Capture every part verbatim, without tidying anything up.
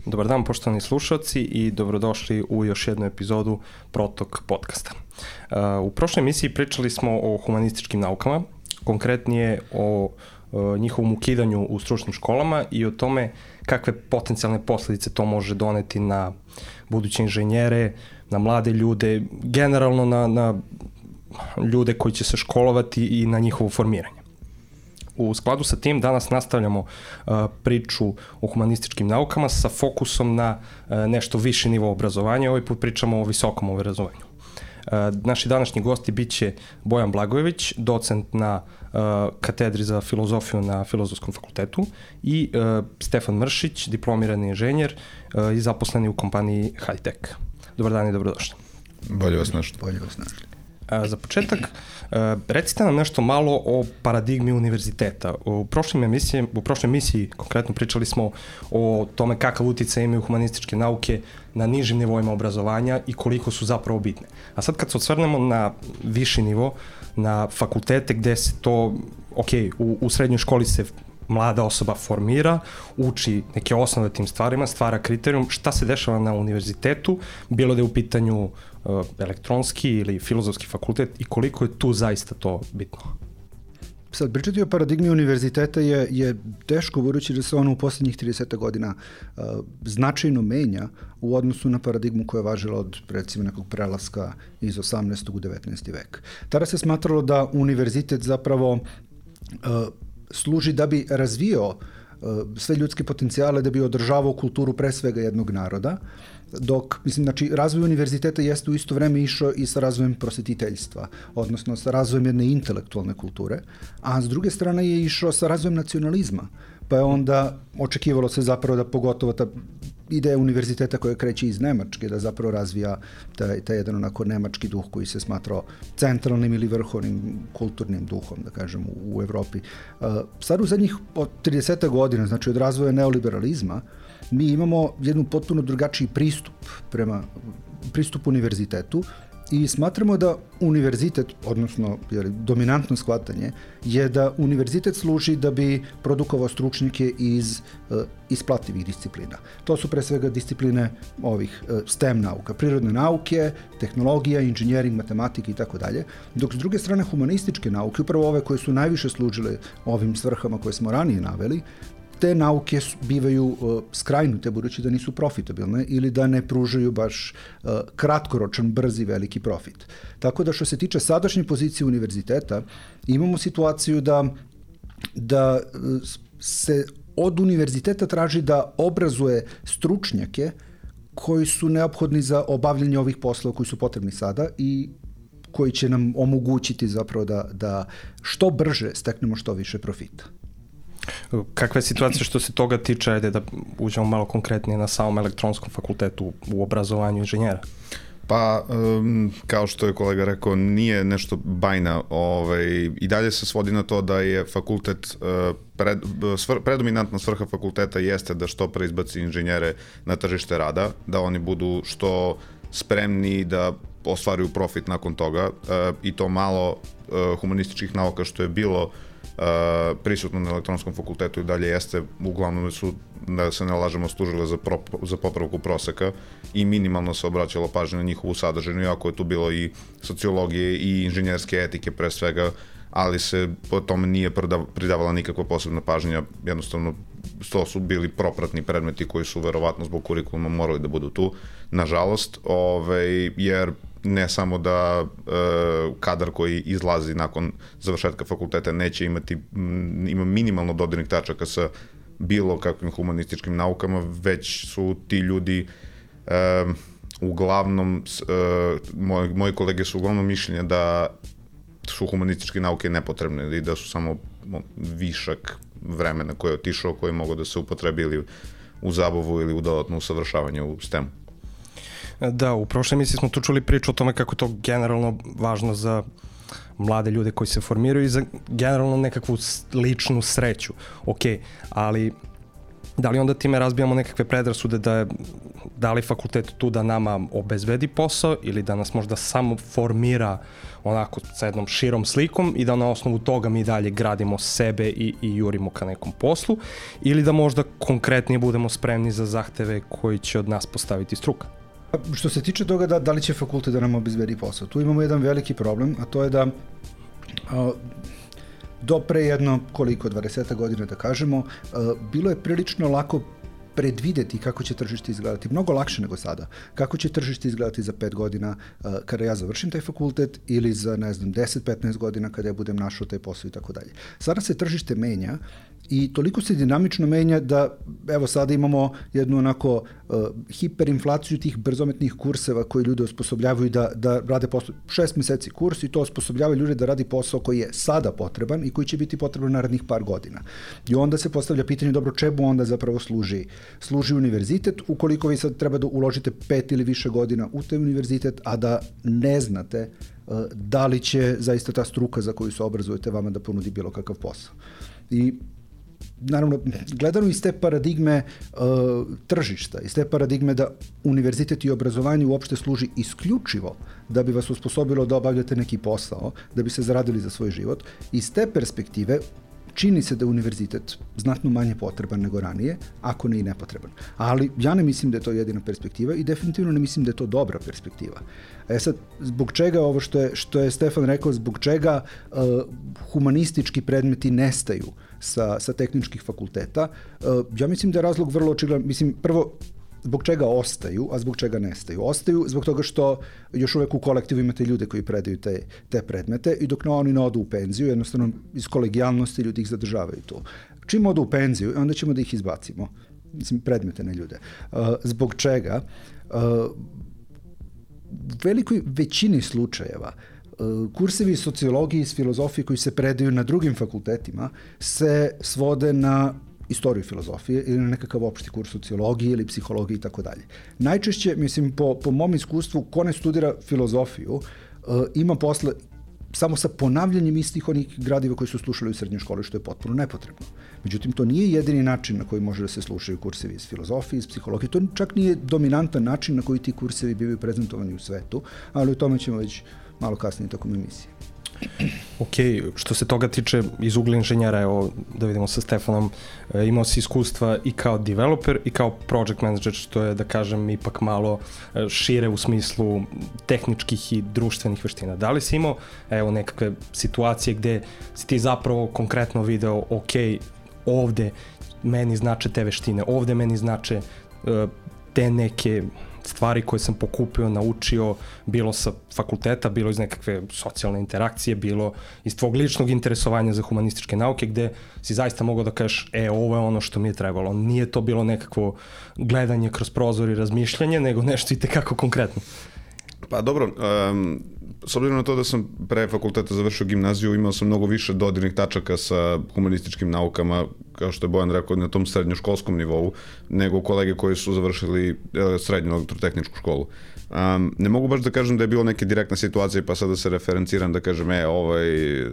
Dobar dan, poštovani slušalci, i dobrodošli u još jednu epizodu Protok podcasta. U prošloj emisiji pričali smo o humanističkim naukama, konkretnije o njihovom ukidanju u stručnim školama i o tome kakve potencijalne posledice to može doneti na buduće inženjere, na mlade ljude, generalno na, na ljude koji će se školovati i na njihovo formiranje. U skladu sa tim danas nastavljamo uh, priču o humanističkim naukama sa fokusom na uh, nešto viši nivo obrazovanja. Ovaj put pričamo o visokom obrazovanju. Uh, naši današnji gosti bit će Bojan Blagojević, docent na uh, katedri za filozofiju na Filozofskom fakultetu, i uh, Stefan Mršić, diplomirani inženjer uh, i zaposleni u kompaniji Hightech. Dobar dan i dobrodošli. Bolje vas našli. Bolje vas našli. Za početak, recite nam nešto malo o paradigmi univerziteta. U prošloj emisiji, u prošloj emisiji konkretno pričali smo o tome kakav uticaj imaju humanističke nauke na nižim nivoima obrazovanja i koliko su zapravo bitne. A sad kad se osvrnemo na viši nivo, na fakultete gde se to, ok, u, u srednjoj školi se mlada osoba formira, uči neke osnove tim stvarima, stvara kriterijum, šta se dešava na univerzitetu, bilo da je u pitanju uh, elektronski ili filozofski fakultet i koliko je tu zaista to bitno? Sad, pričati o paradigmi univerziteta je, je teško, budući da se ono u poslednjih trideset godina uh, značajno menja u odnosu na paradigmu koja je važila od, recimo, nekog prelaska iz osamnaestog u devetnaesti vek. Tada se smatralo da univerzitet zapravo uh, služi da bi razvio uh, sve ljudske potencijale, da bi održavao kulturu pre svega jednog naroda, dok, mislim, znači, razvoj univerziteta jeste u isto vreme išao i sa razvojem prosvetiteljstva, odnosno sa razvojem jedne intelektualne kulture, a s druge strane je išao sa razvojem nacionalizma, pa je onda očekivalo se zapravo da pogotovo ta ideja univerziteta koja kreće iz Nemačke, da zapravo razvija taj, taj jedan onako nemački duh koji se smatrao centralnim ili vrhovnim kulturnim duhom, da kažem, u, u Evropi. Uh, sad u zadnjih od trideset godina, znači od razvoja neoliberalizma, mi imamo jednu potpuno drugačiji pristup prema pristupu univerzitetu i smatramo da univerzitet, odnosno jer, dominantno shvatanje, je da univerzitet služi da bi produkovao stručnjake iz uh, isplativih disciplina. To su pre svega discipline ovih uh, STEM nauka, prirodne nauke, tehnologija, inženjering, matematika i tako dalje, dok s druge strane humanističke nauke, upravo ove koje su najviše služile ovim svrhama koje smo ranije naveli, te nauke bivaju uh, skrajnute, budući da nisu profitabilne ili da ne pružaju baš uh, kratkoročan, brzi, veliki profit. Tako da što se tiče sadašnje pozicije univerziteta, imamo situaciju da, da uh, se od univerziteta traži da obrazuje stručnjake koji su neophodni za obavljanje ovih poslova koji su potrebni sada i koji će nam omogućiti zapravo da, da što brže steknemo što više profita. Kakva je situacija što se toga tiče, ajde da uđemo malo konkretnije na samom elektronskom fakultetu u obrazovanju inženjera? Pa, um, kao što je kolega rekao, nije nešto bajna. Ovaj, I dalje se svodi na to da je fakultet, uh, pred, svr, predominantna svrha fakulteta jeste da što pre izbaci inženjere na tržište rada, da oni budu što spremni da ostvaruju profit nakon toga, uh, i to malo uh, humanističkih nauka što je bilo Uh, prisutno na elektronskom fakultetu i dalje jeste, uglavnom su, da se ne lažemo, služile za, pro, za popravku proseka i minimalno se obraćalo pažnje na njihovu sadržinu, iako je tu bilo i sociologije i inženjerske etike pre svega, ali se po tome nije pridavala nikakva posebna pažnja, jednostavno to su bili propratni predmeti koji su verovatno zbog kurikuluma morali da budu tu, nažalost, ovaj, jer ne samo da e, kadar koji izlazi nakon završetka fakulteta neće imati, m, ima minimalno dodirnih tačaka sa bilo kakvim humanističkim naukama, već su ti ljudi e, uglavnom, e, moji, moji kolege su uglavnom mišljenja da su humanističke nauke nepotrebne i da su samo višak vremena koje je otišao, koje mogu da se upotrebi ili u zabavu ili u dodatno usavršavanje u stemu. Da, u prošloj emisiji smo tu čuli priču o tome kako je to generalno važno za mlade ljude koji se formiraju i za generalno nekakvu ličnu sreću. Ok, ali da li onda time razbijamo nekakve predrasude da je da li fakultet tu da nama obezbedi posao ili da nas možda samo formira onako sa jednom širom slikom i da na osnovu toga mi dalje gradimo sebe i, i jurimo ka nekom poslu, ili da možda konkretnije budemo spremni za zahteve koji će od nas postaviti struka. Što se tiče toga da, da li će fakultet da nam obezbedi posao, tu imamo jedan veliki problem, a to je da a, do pre jedno koliko, dvadeset godina da kažemo, a, bilo je prilično lako predvideti kako će tržište izgledati, mnogo lakše nego sada. Kako će tržište izgledati za pet godina uh, kada ja završim taj fakultet ili za, ne znam, deset do petnaest godina kada ja budem našao taj posao i tako dalje. Sada se tržište menja i toliko se dinamično menja da, evo, sada imamo jednu onako uh, hiperinflaciju tih brzometnih kurseva koji ljude osposobljavaju da, da rade posao. Šest meseci kurs i to osposobljava ljude da radi posao koji je sada potreban i koji će biti potreban narednih par godina. I onda se postavlja pitanje, dobro, čemu onda zapravo služi služi univerzitet, ukoliko vi sad treba da uložite pet ili više godina u taj univerzitet, a da ne znate uh, da li će zaista ta struka za koju se obrazujete vama da ponudi bilo kakav posao. I naravno, gledano iz te paradigme uh, tržišta, iz te paradigme da univerzitet i obrazovanje uopšte služi isključivo da bi vas osposobilo da obavljate neki posao, da bi se zaradili za svoj život, iz te perspektive čini se da je univerzitet znatno manje potreban nego ranije, ako ne i nepotreban. Ali ja ne mislim da je to jedina perspektiva i definitivno ne mislim da je to dobra perspektiva. E sad, zbog čega ovo što je, što je Stefan rekao, zbog čega uh, humanistički predmeti nestaju sa, sa tehničkih fakulteta, uh, ja mislim da je razlog vrlo očigledan. Mislim, prvo, zbog čega ostaju, a zbog čega nestaju? Ostaju zbog toga što još uvek u kolektivu imate ljude koji predaju te, te predmete i dok oni ne odu u penziju, jednostavno iz kolegijalnosti ljudi ih zadržavaju tu. Čim odu u penziju, onda ćemo da ih izbacimo. Mislim, predmete, ne ljude. Uh, zbog čega? Uh, u velikoj većini slučajeva uh, kursevi iz sociologije i iz filozofije koji se predaju na drugim fakultetima se svode na istoriju filozofije ili na nekakav opšti kurs sociologije ili psihologije i tako dalje. Najčešće, mislim, po, po mom iskustvu, ko ne studira filozofiju, uh, ima posle samo sa ponavljanjem istih onih gradiva koji su slušali u srednjoj školi, što je potpuno nepotrebno. Međutim, to nije jedini način na koji može da se slušaju kursevi iz filozofije, iz psihologije. To čak nije dominantan način na koji ti kursevi bivaju prezentovani u svetu, ali o tome ćemo već malo kasnije tokom emisije. Ok, što se toga tiče iz ugla inženjera, evo da vidimo sa Stefanom, e, imao si iskustva i kao developer i kao project manager, što je, da kažem, ipak malo šire u smislu tehničkih i društvenih veština. Da li si imao, evo, nekakve situacije gde si ti zapravo konkretno video, ok, ovde meni znače te veštine, ovde meni znače e, te neke stvari koje sam pokupio, naučio, bilo sa fakulteta, bilo iz nekakve socijalne interakcije, bilo iz tvog ličnog interesovanja za humanističke nauke, gde si zaista mogao da kažeš, e, ovo je ono što mi je trebalo. Nije to bilo nekakvo gledanje kroz prozor i razmišljanje, nego nešto i tekako konkretno. Pa dobro, um, s obzirom na to da sam pre fakulteta završio gimnaziju, imao sam mnogo više dodirnih tačaka sa humanističkim naukama, kao što je Bojan rekao, na tom srednjoškolskom nivou, nego kolege koji su završili srednju elektrotehničku školu. Um, ne mogu baš da kažem da je bilo neke direktne situacije, pa sada se referenciram da kažem, e, ovaj uh,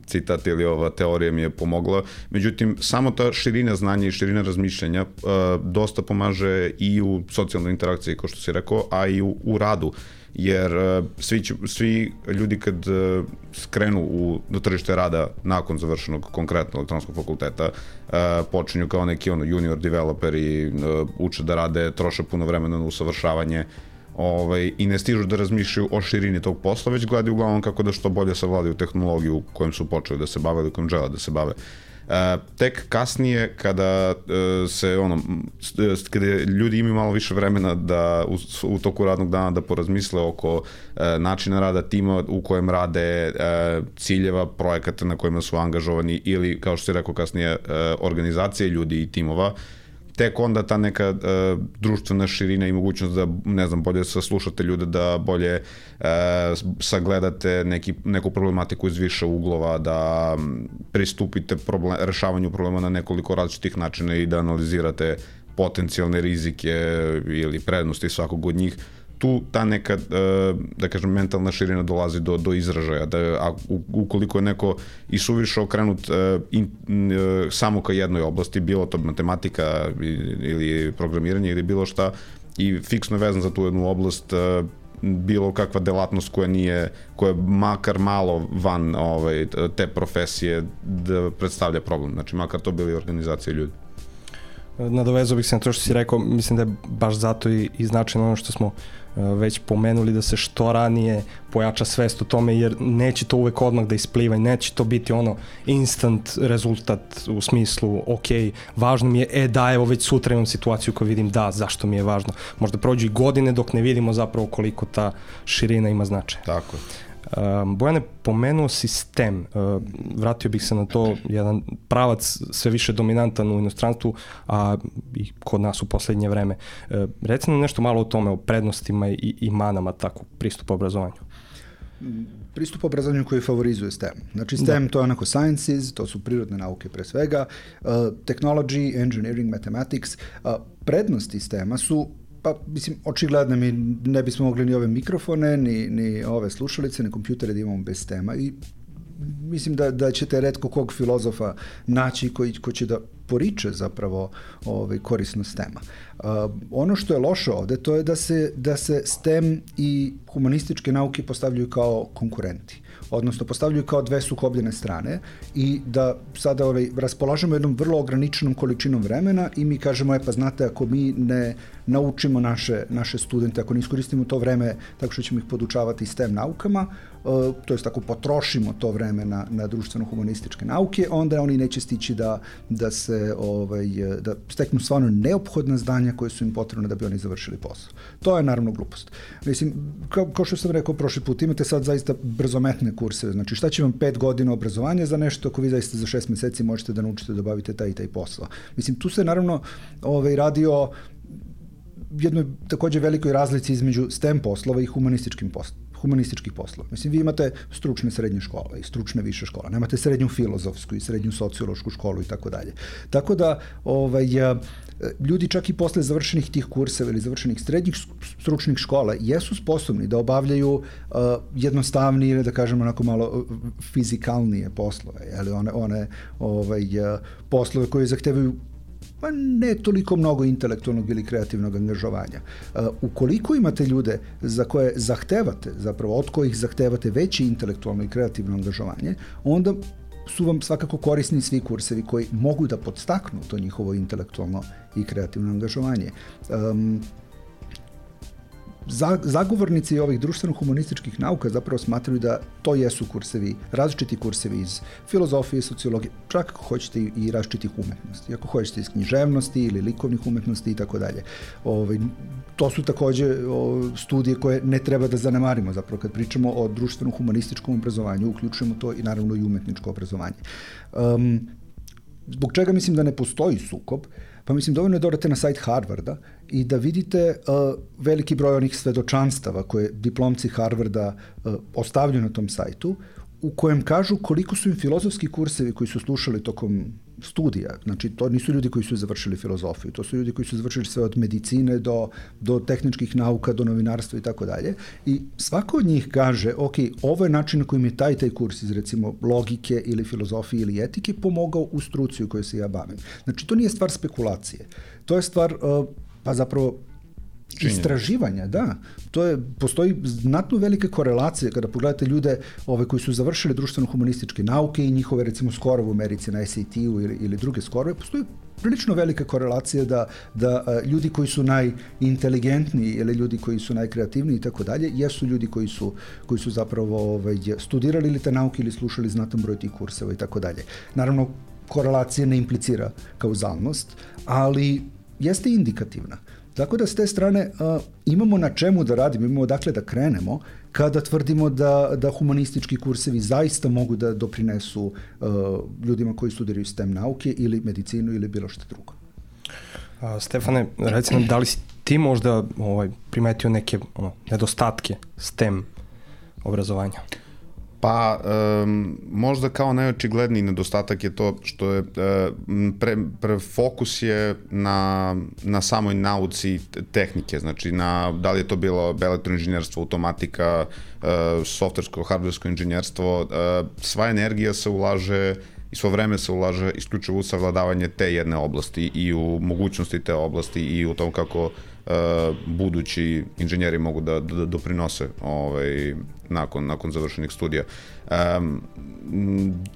citat ili ova teorija mi je pomogla. Međutim, samo ta širina znanja i širina razmišljanja uh, dosta pomaže i u socijalnoj interakciji, kao što si rekao, a i u, u radu. Jer uh, svi, će, svi ljudi kad uh, skrenu u, do tržište rada nakon završenog konkretno elektronskog fakulteta, uh, počinju kao neki ono, junior developeri, uh, uče da rade, troše puno vremena na usavršavanje, ovaj, i ne stižu da razmišljaju o širini tog posla, već gledaju uglavnom kako da što bolje savladaju tehnologiju kojom su počeli da se bave ili kojom žele da se bave. Uh, tek kasnije kada uh, se ono kada ljudi imaju malo više vremena da u, u toku radnog dana da porazmisle oko uh, načina rada tima u kojem rade, uh, ciljeva, projekata na kojima su angažovani ili, kao što si rekao kasnije, uh, organizacije ljudi i timova, tek onda ta neka uh, društvena širina i mogućnost da, ne znam, bolje saslušate ljude, da bolje uh, sagledate neki, neku problematiku iz više uglova, da pristupite problem, rešavanju problema na nekoliko različitih načina i da analizirate potencijalne rizike ili prednosti svakog od njih. tu ta neka, da kažem, mentalna širina dolazi do, do izražaja, da, a ukoliko je neko i suviše okrenut in, samo ka jednoj oblasti, bilo to matematika ili programiranje ili bilo šta, i fiksno je vezan za tu jednu oblast, bilo kakva delatnost koja nije, koja je makar malo van ovaj, te profesije da predstavlja problem, znači makar to bili organizacije ljudi. Nadovezao bih se na to što si rekao, mislim da je baš zato i, i značajno ono što smo već pomenuli, da se što ranije pojača svest o tome, jer neće to uvek odmah da ispliva i neće to biti ono instant rezultat u smislu, ok, važno mi je, e da, evo već sutra imam situaciju koju vidim, da, zašto mi je važno. Možda prođu i godine dok ne vidimo zapravo koliko ta širina ima značaja. Tako je. Um, Bojane, pomenuo sistem, uh, vratio bih se na to, jedan pravac sve više dominantan u inostranstvu, a i kod nas u poslednje vreme. Uh, reci nam nešto malo o tome, o prednostima i, i manama takvog pristupa obrazovanju. Pristup obrazovanju koji favorizuje STEM. Znači STEM da. To je onako sciences, to su prirodne nauke pre svega, uh, technology, engineering, mathematics. Uh, prednosti STEM-a su, pa mislim, očigledno mi ne bismo mogli ni ove mikrofone, ni, ni ove slušalice, ni kompjutere da imamo bez STEM-a i mislim da, da ćete retko kog filozofa naći koji, koji će da poriče zapravo ovaj, korisnost STEM-a. Uh, ono što je loše ovde, to je da se, da se STEM i humanističke nauke postavljaju kao konkurenti, odnosno postavljaju kao dve sukobljene strane i da sada ovaj, raspolažemo jednom vrlo ograničenom količinom vremena i mi kažemo, e pa znate, ako mi ne naučimo naše, naše studente, ako ne iskoristimo to vreme tako što ćemo ih podučavati STEM naukama, uh, to jest ako potrošimo to vreme na, na društveno-humanističke nauke, onda oni neće stići da, da se ovaj, da steknu stvarno neophodna znanja koje su im potrebne da bi oni završili posao. To je naravno glupost. Mislim, kao, kao što sam rekao prošli put, imate sad zaista brzometne kurseve, znači šta će vam pet godina obrazovanja za nešto ako vi zaista za šest meseci možete da naučite da obavite taj i taj posao. Mislim, tu se naravno ovaj, radi o jednoj takođe velikoj razlici između STEM poslova i humanističkim poslova. humanističkih poslova. Mislim, vi imate stručne srednje škole i stručne više škole, nemate srednju filozofsku i srednju sociološku školu i tako dalje. Tako da, ovaj, ljudi čak i posle završenih tih kurseva ili završenih srednjih stručnih škola jesu sposobni da obavljaju uh, jednostavnije ili da kažemo onako malo fizikalnije poslove, ali one, one ovaj, poslove koje zahtevaju pa ne toliko mnogo intelektualnog ili kreativnog angažovanja. Uh, ukoliko imate ljude za koje zahtevate, zapravo od kojih zahtevate veće intelektualno i kreativno angažovanje, onda su vam svakako korisni svi kursevi koji mogu da podstaknu to njihovo intelektualno i kreativno angažovanje. Um, Zagovornici ovih društveno-humanističkih nauka zapravo smatraju da to jesu kursevi, različiti kursevi iz filozofije, sociologije, čak ako hoćete i različitih umetnosti, ako hoćete iz književnosti ili likovnih umetnosti i tako dalje. To su takođe o, studije koje ne treba da zanemarimo, zapravo kad pričamo o društveno-humanističkom obrazovanju, uključujemo to i naravno i umetničko obrazovanje. Um, zbog čega mislim da ne postoji sukob? Pa mislim, dovoljno je da odete na sajt Harvarda i da vidite uh, veliki broj onih svedočanstava koje diplomci Harvarda uh, ostavljaju na tom sajtu, u kojem kažu koliko su im filozofski kursevi koji su slušali tokom studija, znači to nisu ljudi koji su završili filozofiju, to su ljudi koji su završili sve od medicine do, do tehničkih nauka, do novinarstva i tako dalje. I svako od njih kaže, ok, ovo je način na kojim je taj taj kurs iz recimo logike ili filozofije ili etike pomogao u struci u kojoj se ja bavim. Znači to nije stvar spekulacije, to je stvar, uh, pa zapravo istraživanja, da. To je, postoji znatno velike korelacije kada pogledate ljude ove koji su završili društveno-humanističke nauke i njihove recimo skorove u Americi na S A T-u ili, ili druge skorove, postoji prilično velika korelacija da, da a, ljudi koji su najinteligentniji ili ljudi koji su najkreativniji i tako dalje, jesu ljudi koji su, koji su zapravo ovaj, studirali ili te nauke ili slušali znatan broj tih kurseva i tako dalje. Naravno, korelacija ne implicira kauzalnost, ali jeste indikativna. Tako da s te strane uh, imamo na čemu da radimo, imamo dakle da krenemo kada tvrdimo da, da humanistički kursevi zaista mogu da doprinesu uh, ljudima koji studiraju STEM nauke ili medicinu ili bilo što drugo. A, Stefane, reci nam, da li si ti možda ovaj, primetio neke ono, nedostatke STEM obrazovanja? Pa, um, možda kao najočigledniji nedostatak je to što je uh, pre, pre fokus je na, na samoj nauci tehnike, znači na, da li je to bilo elektroinženjerstvo, automatika, uh, softversko, hardversko inženjerstvo, uh, sva energija se ulaže i svo vreme se ulaže isključivo u savladavanje te jedne oblasti i u mogućnosti te oblasti i u tom kako uh, budući inženjeri mogu da, da, da doprinose ovaj, nakon, nakon završenih studija. Um,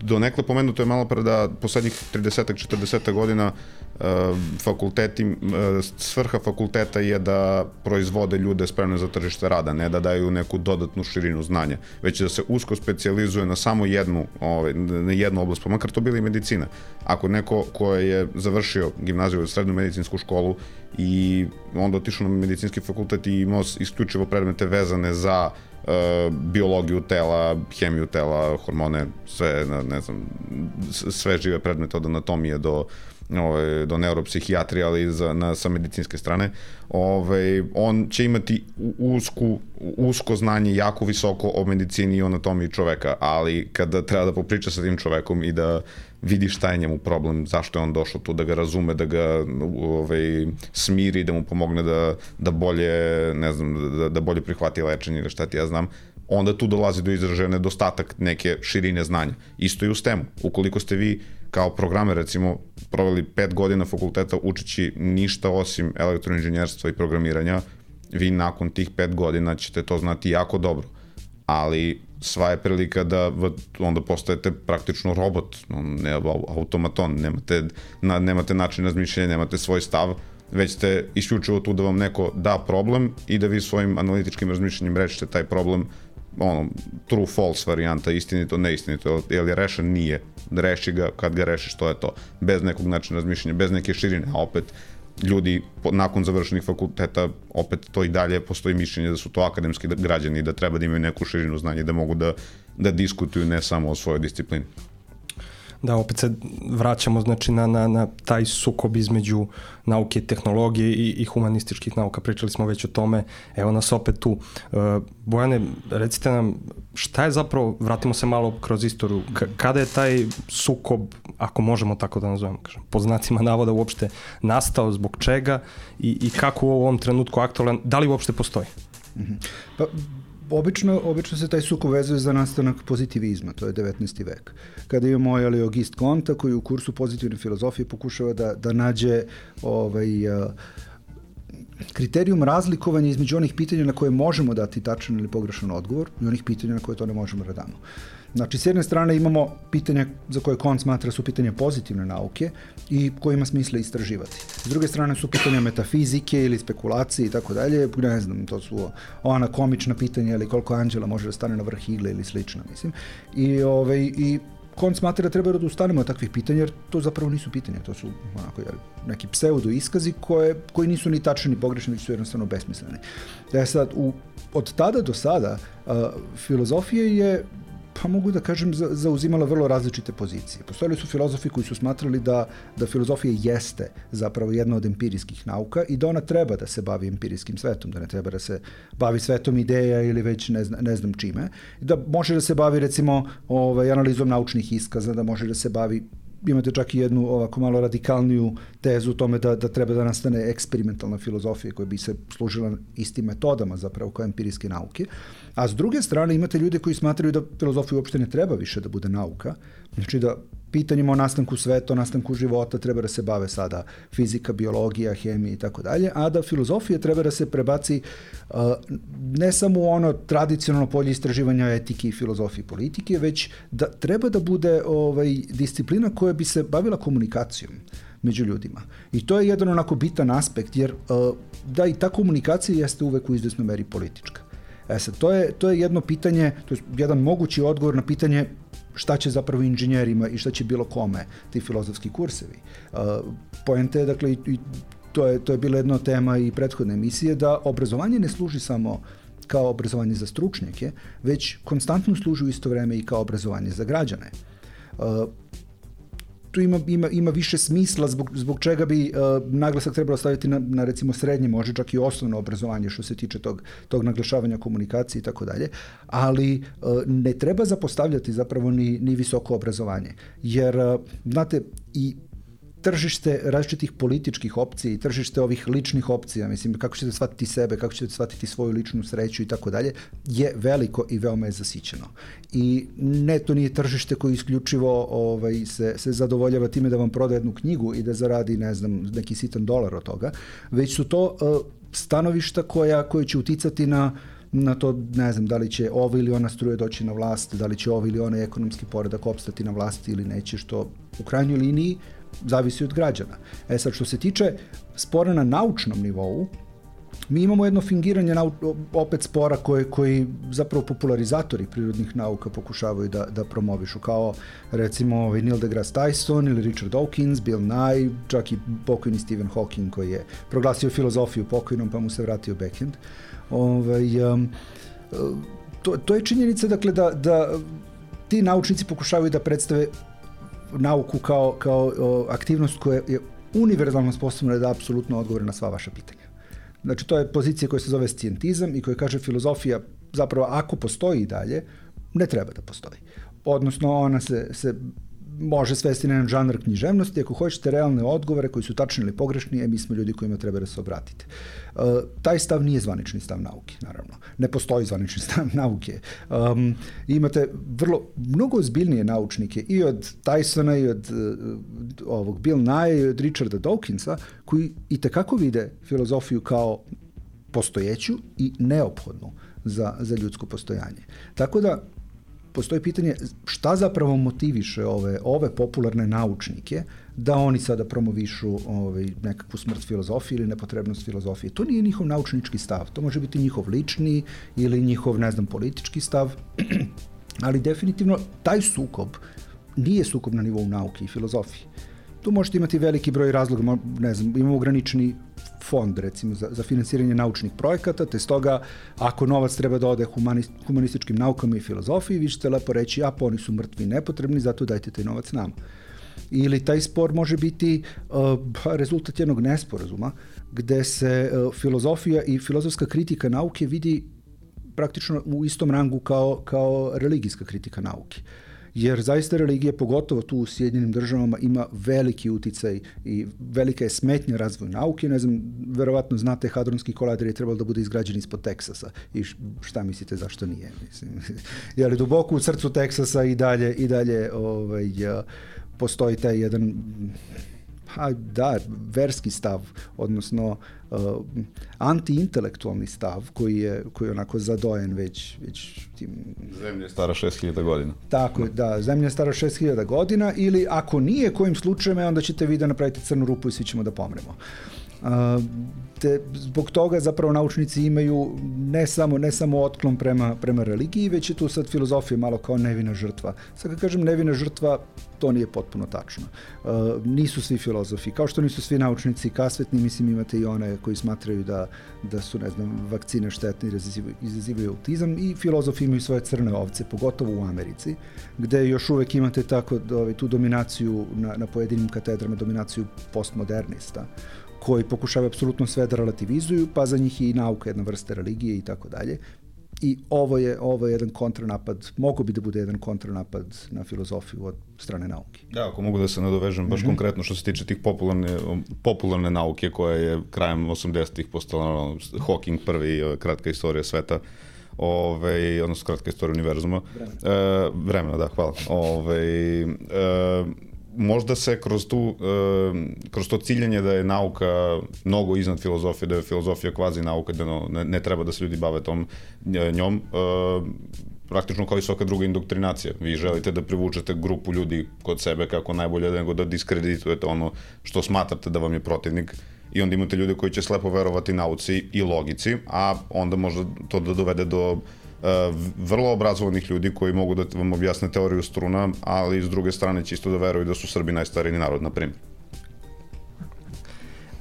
donekle pomenuto je malo pre da poslednjih trideset četrdeset godina uh, fakulteti, uh, svrha fakulteta je da proizvode ljude spremne za tržište rada, ne da daju neku dodatnu širinu znanja, već da se usko specijalizuje na samo jednu, ovaj, na jednu oblast, pa makar to bila i medicina. Ako neko ko je završio gimnaziju ili srednju medicinsku školu i onda otišao na medicinski fakultet i imao isključivo predmete vezane za Uh, biologiju tela, hemiju tela, hormone, sve, ne znam, sve žive predmete od anatomije do, ove, do neuropsihijatrije, ali za, na, sa medicinske strane, ove, on će imati usku, usko znanje, jako visoko o medicini i anatomiji čoveka, ali kada treba da popriča sa tim čovekom i da vidi šta je njemu problem, zašto je on došao tu, da ga razume, da ga ovaj, smiri, da mu pomogne da, da bolje, ne znam, da, da bolje prihvati lečenje ili šta ti ja znam, onda tu dolazi do izražaja nedostatak neke širine znanja. Isto i u stemu. Ukoliko ste vi kao programer, recimo, proveli pet godina fakulteta učeći ništa osim elektroinženjerstva i programiranja, vi nakon tih pet godina ćete to znati jako dobro. Ali sva je prilika da onda postajete praktično robot, ne automaton, nemate, na, nemate način razmišljanja, nemate svoj stav, već ste isključivo tu da vam neko da problem i da vi svojim analitičkim razmišljanjem rešite taj problem, ono, true false varijanta, istinito, neistinito, je li rešen? Nije. Reši ga, kad ga rešiš, to je to. Bez nekog načina razmišljanja, bez neke širine, a opet ljudi nakon završenih fakulteta, opet to i dalje postoji mišljenje da su to akademski građani i da treba da imaju neku širinu znanja i da mogu da, da diskutuju ne samo o svojoj disciplini. Da, opet se vraćamo znači, na, na, na taj sukob između nauke i tehnologije i, i humanističkih nauka. Pričali smo već o tome, evo nas opet tu. Uh, Bojane, recite nam šta je zapravo, vratimo se malo kroz istoriju, K- kada je taj sukob, ako možemo tako da nazovemo, kažem, po znacima navoda uopšte nastao, zbog čega i, i kako u ovom trenutku aktualan, da li uopšte postoji? Mm-hmm. Pa, Obično, obično se taj sukob vezuje za nastanak pozitivizma, to je devetnaesti vek. Kada imamo jeli, Auguste Comte, koji u kursu pozitivne filozofije pokušava da, da nađe ovaj, uh, kriterijum razlikovanja između onih pitanja na koje možemo dati tačan ili pogrešan odgovor i onih pitanja na koje to ne možemo da damo. Znači, s jedne strane imamo pitanja za koje Comte smatra su pitanja pozitivne nauke i koje ima smisla istraživati. S druge strane su pitanja metafizike ili spekulacije i tako dalje, ne znam, to su ona komična pitanja ili koliko anđela može da stane na vrh igle ili slično, mislim. I, ovaj, i Comte smatra da treba da ustanemo od takvih pitanja, jer to zapravo nisu pitanja, to su onako, jel, neki pseudo iskazi koje, koji nisu ni tačni ni pogrešni, već su jednostavno besmisleni. E sad, u, od tada do sada uh, filozofija je, pa mogu da kažem, zauzimala vrlo različite pozicije. Postojali su filozofi koji su smatrali da, da filozofija jeste zapravo jedna od empirijskih nauka i da ona treba da se bavi empirijskim svetom, da ne treba da se bavi svetom ideja ili već ne, zna, ne znam čime. Da može da se bavi recimo ovaj, analizom naučnih iskaza, da može da se bavi, imate čak i jednu ovako malo radikalniju tezu u tome da, da treba da nastane eksperimentalna filozofija koja bi se služila istim metodama zapravo kao empirijske nauke. A s druge strane imate ljude koji smatraju da filozofija uopšte ne treba više da bude nauka. Znači da pitanjima o nastanku sveta, o nastanku života treba da se bave sada fizika, biologija, hemija i tako dalje, a da filozofija treba da se prebaci uh, ne samo u ono tradicionalno polje istraživanja etike i filozofije politike, već da treba da bude ovaj, disciplina koja bi se bavila komunikacijom među ljudima. I to je jedan onako bitan aspekt, jer uh, da i ta komunikacija jeste uvek u izvesnoj meri politička. E sad, to je, to je jedno pitanje, to je jedan mogući odgovor na pitanje šta će zapravo inženjerima i šta će bilo kome ti filozofski kursevi. Uh, poenta je, dakle, i to je, to je bila jedna tema i prethodne emisije, da obrazovanje ne služi samo kao obrazovanje za stručnjake, već konstantno služi u isto vreme i kao obrazovanje za građane. Uh, tu ima, ima, ima više smisla zbog, zbog čega bi uh, naglasak trebalo staviti na, na recimo srednje, može čak i osnovno obrazovanje što se tiče tog, tog naglašavanja komunikacije i tako dalje, ali uh, ne treba zapostavljati zapravo ni, ni visoko obrazovanje. Jer, uh, znate, i tržište različitih političkih opcija i tržište ovih ličnih opcija, mislim, kako ćete shvatiti sebe, kako ćete shvatiti svoju ličnu sreću i tako dalje, je veliko i veoma je zasićeno. I ne, to nije tržište koje isključivo ovaj, se, se zadovoljava time da vam proda jednu knjigu i da zaradi, ne znam, neki sitan dolar od toga, već su to uh, stanovišta koja, koje će uticati na na to, ne znam, da li će ovo ili ona struje doći na vlast, da li će ovo ili onaj ekonomski poredak opstati na vlasti ili neće, što u krajnjoj liniji zavisi od građana. E sad, što se tiče spora na naučnom nivou, mi imamo jedno fingiranje nau- opet spora koje, koji zapravo popularizatori prirodnih nauka pokušavaju da, da promovišu, kao recimo ovaj Neil deGrasse Tyson ili Richard Dawkins, Bill Nye, čak i pokojni Stephen Hawking koji je proglasio filozofiju pokojnom pa mu se vratio backhand. Ovaj, um, to, to je činjenica, dakle, da, da ti naučnici pokušavaju da predstave nauku kao, kao o, aktivnost koja je univerzalno sposobna da apsolutno odgovore na sva vaša pitanja. Znači, to je pozicija koja se zove scijentizam i koja kaže filozofija zapravo ako postoji i dalje, ne treba da postoji. Odnosno, ona se, se može svesti na jedan žanr književnosti. Ako hoćete realne odgovore koji su tačni ili pogrešni, e, mi smo ljudi kojima treba da se obratite. E, taj stav nije zvanični stav nauke, naravno. Ne postoji zvanični stav nauke. Um, imate vrlo, mnogo ozbiljnije naučnike i od Tysona i od uh, ovog Bill Nye i od Richarda Dawkinsa, koji i tekako vide filozofiju kao postojeću i neophodnu za, za ljudsko postojanje. Tako da, postoji pitanje šta zapravo motiviše ove, ove popularne naučnike da oni sada promovišu ovaj, nekakvu smrt filozofije ili nepotrebnost filozofije. To nije njihov naučnički stav, to može biti njihov lični ili njihov, ne znam, politički stav, ali definitivno taj sukob nije sukob na nivou nauke i filozofije. Tu možete imati veliki broj razloga, ne znam, imamo ograničeni fond, recimo, za, za finansiranje naučnih projekata, te stoga, ako novac treba da ode humanist, humanističkim naukama i filozofiji, vi ćete lepo reći, a pa oni su mrtvi i nepotrebni, zato dajte taj novac nama. Ili taj spor može biti uh, rezultat jednog nesporazuma, gde se uh, filozofija i filozofska kritika nauke vidi praktično u istom rangu kao, kao religijska kritika nauke. Jer zaista religija, pogotovo tu u Sjedinjenim državama, ima veliki uticaj i velika je smetnja razvoju nauke. Ne znam, verovatno znate, hadronski kolader je trebalo da bude izgrađen ispod Teksasa. I šta mislite zašto nije? Mislim, je li duboko u srcu Teksasa i dalje, i dalje ovaj, postoji taj jedan, ha, da, verski stav, odnosno uh, antiintelektualni stav koji je, koji je onako zadojen već, već tim... Zemlja je stara šest hiljada godina. Tako, da, zemlja je stara šest hiljada godina, ili ako nije, kojim slučajem, onda ćete vi da napravite crnu rupu i svi ćemo da pomremo. Uh, te, zbog toga zapravo naučnici imaju ne samo, ne samo otklon prema, prema religiji, već je tu sad filozofija malo kao nevina žrtva. Sad kad kažem nevina žrtva, to nije potpuno tačno. Uh, nisu svi filozofi, kao što nisu svi naučnici kasvetni, mislim imate i one koji smatraju da, da su, ne znam, vakcine štetne i izazivaju autizam, i filozofi imaju svoje crne ovce, pogotovo u Americi, gde još uvek imate tako ovaj, tu dominaciju na, na pojedinim katedrama, dominaciju postmodernista, koji pokušavaju apsolutno sve da relativizuju, pa za njih je i nauka jedna vrsta religije i tako dalje. I ovo je, ovo je jedan kontranapad, mogu bi da bude jedan kontranapad na filozofiju od strane nauke. Da, ako mogu da se nadovežem, baš mm-hmm. konkretno što se tiče tih popularne, popularne nauke koja je krajem osamdesetih postala Hawking prvi, kratka istorija sveta, Ove, odnosno kratka istorija univerzuma. Vremena. E, vremena, da, hvala. Ove, e, možda se kroz tu, e, kroz to ciljanje da je nauka mnogo iznad filozofije, da je filozofija kvazi nauka, da no, ne, ne treba da se ljudi bave tom njom, e, praktično kao i svaka druga indoktrinacija. Vi želite da privučete grupu ljudi kod sebe kako najbolje, nego da diskreditujete ono što smatrate da vam je protivnik, i onda imate ljude koji će slepo verovati nauci i logici, a onda može to da dovede do uh, vrlo obrazovanih ljudi koji mogu da vam objasne teoriju struna, ali s druge strane će isto da veruju da su Srbi najstariji narod, na primjer.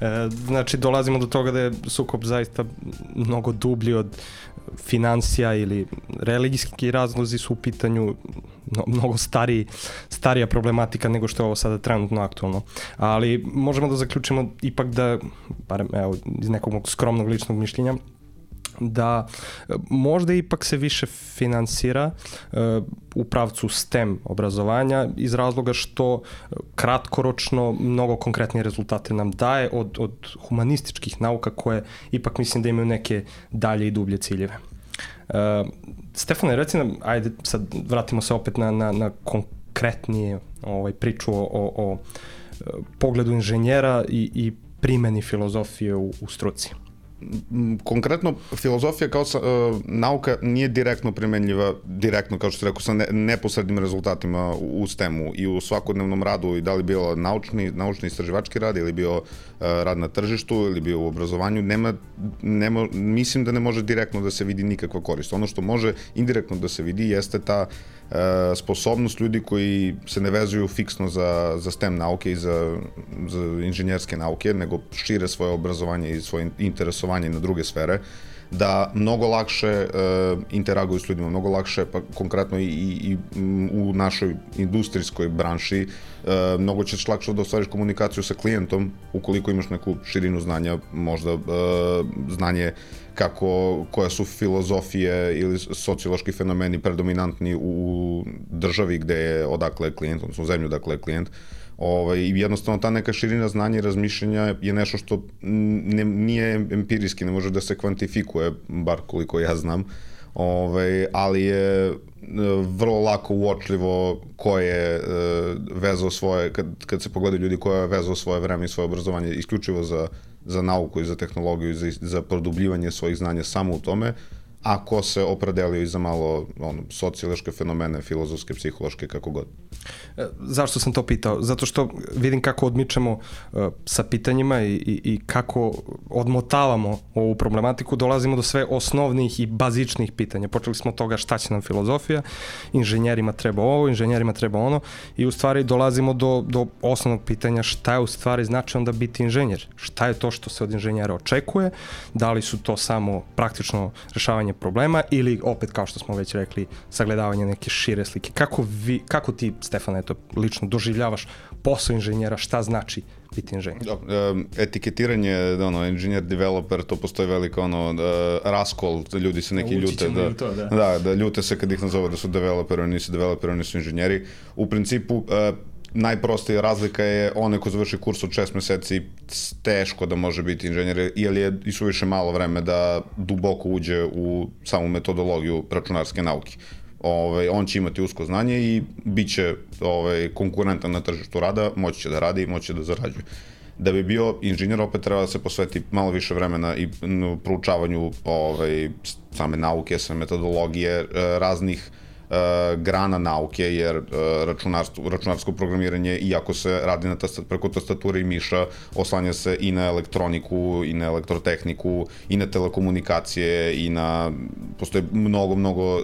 E, znači, dolazimo do toga da je sukob zaista mnogo dublji od financija ili religijski razlozi su u pitanju, no, mnogo stariji, starija problematika nego što je ovo sada trenutno aktualno. Ali možemo da zaključimo ipak da, barem evo, iz nekog mog skromnog ličnog mišljenja, da možda ipak se više finansira uh, u pravcu STEM obrazovanja iz razloga što kratkoročno mnogo konkretnije rezultate nam daje od, od humanističkih nauka koje ipak mislim da imaju neke dalje i dublje ciljeve. Uh, Stefane, reci nam, ajde sad vratimo se opet na, na, na konkretnije ovaj, priču o, o, o pogledu inženjera i, i primeni filozofije u, u struci. Konkretno, filozofija kao sa, uh, nauka nije direktno primenljiva, direktno, kao što ste rekao, sa ne, neposrednim rezultatima u STEM-u i u svakodnevnom radu, i da li bio naučni, naučni istraživački rad, ili bio uh, rad na tržištu, ili bio u obrazovanju, nema, nema, mislim da ne može direktno da se vidi nikakva korist. Ono što može indirektno da se vidi jeste ta uh, sposobnost ljudi koji se ne vezuju fiksno za, za STEM nauke i za, za inženjerske nauke, nego šire svoje obrazovanje i svoje interesovanje na druge sfere, da mnogo lakše uh, interaguju s ljudima, mnogo lakše, pa konkretno i, i, i u našoj industrijskoj branši, uh, mnogo ćeš lakše da ostvariš komunikaciju sa klijentom ukoliko imaš neku širinu znanja, možda uh, znanje kako, koja su filozofije ili sociološki fenomeni predominantni u državi gde je odakle je klijent, odnosno u zemlju odakle je klijent. Ovaj, jednostavno ta neka širina znanja i razmišljanja je nešto što ne, nije empirijski, ne može da se kvantifikuje, bar koliko ja znam, ovaj, ali je vrlo lako uočljivo ko je vezao svoje, kad, kad se pogledaju ljudi ko je vezao svoje vreme i svoje obrazovanje isključivo za, za nauku i za tehnologiju i za, za produbljivanje svojih znanja samo u tome, a ko se opredelio i za malo ono, sociološke fenomene, filozofske, psihološke, kako god. Zašto sam to pitao? Zato što vidim kako odmičemo uh, sa pitanjima i, i, i kako odmotavamo ovu problematiku, dolazimo do sve osnovnih i bazičnih pitanja. Počeli smo od toga šta će nam filozofija, inženjerima treba ovo, inženjerima treba ono, i u stvari dolazimo do, do osnovnog pitanja šta je u stvari znači onda biti inženjer. Šta je to što se od inženjera očekuje, da li su to samo praktično rešavanje problema ili opet, kao što smo već rekli, sagledavanje neke šire slike. Kako, vi, kako ti, Stefane, eto, lično doživljavaš posao inženjera, šta znači biti inženjer? Etiketiranje, ono, inženjer, developer, to postoji velika, ono, raskol, da ljudi se neki ljute, da, to, da. da, da ljute se kad ih nazove da su developeri, oni nisu developeri, oni su inženjeri. U principu, najprostija razlika je onaj ko završi kurs od šest meseci teško da može biti inženjer, jer je i suviše malo vreme da duboko uđe u samu metodologiju računarske nauke. Ove, on će imati usko znanje i bit će ove, konkurentan na tržištu rada, moći će da radi i moći će da zarađuje. Da bi bio inženjer, opet treba da se posveti malo više vremena i proučavanju ove, same nauke, same metodologije, raznih grana nauke, jer računarstvo, računarsko programiranje, iako se radi na tastat, preko tastature i miša, oslanja se i na elektroniku, i na elektrotehniku, i na telekomunikacije, i na... Postoje mnogo, mnogo e,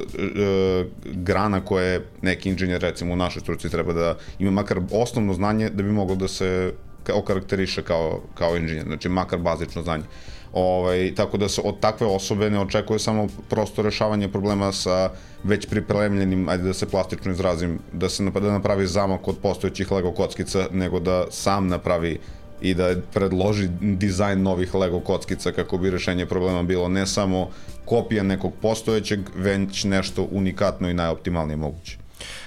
grana koje neki inženjer, recimo u našoj struci, treba da ima makar osnovno znanje da bi moglo da se okarakteriše kao, kao inženjer, znači makar bazično znanje. Ovaj, tako da se od takve osobe ne očekuje samo prosto rešavanje problema sa već pripremljenim, ajde da se plastično izrazim, da se da napravi zamak od postojećih Lego kockica, nego da sam napravi i da predloži dizajn novih Lego kockica kako bi rešenje problema bilo ne samo kopija nekog postojećeg, već nešto unikatno i najoptimalnije moguće.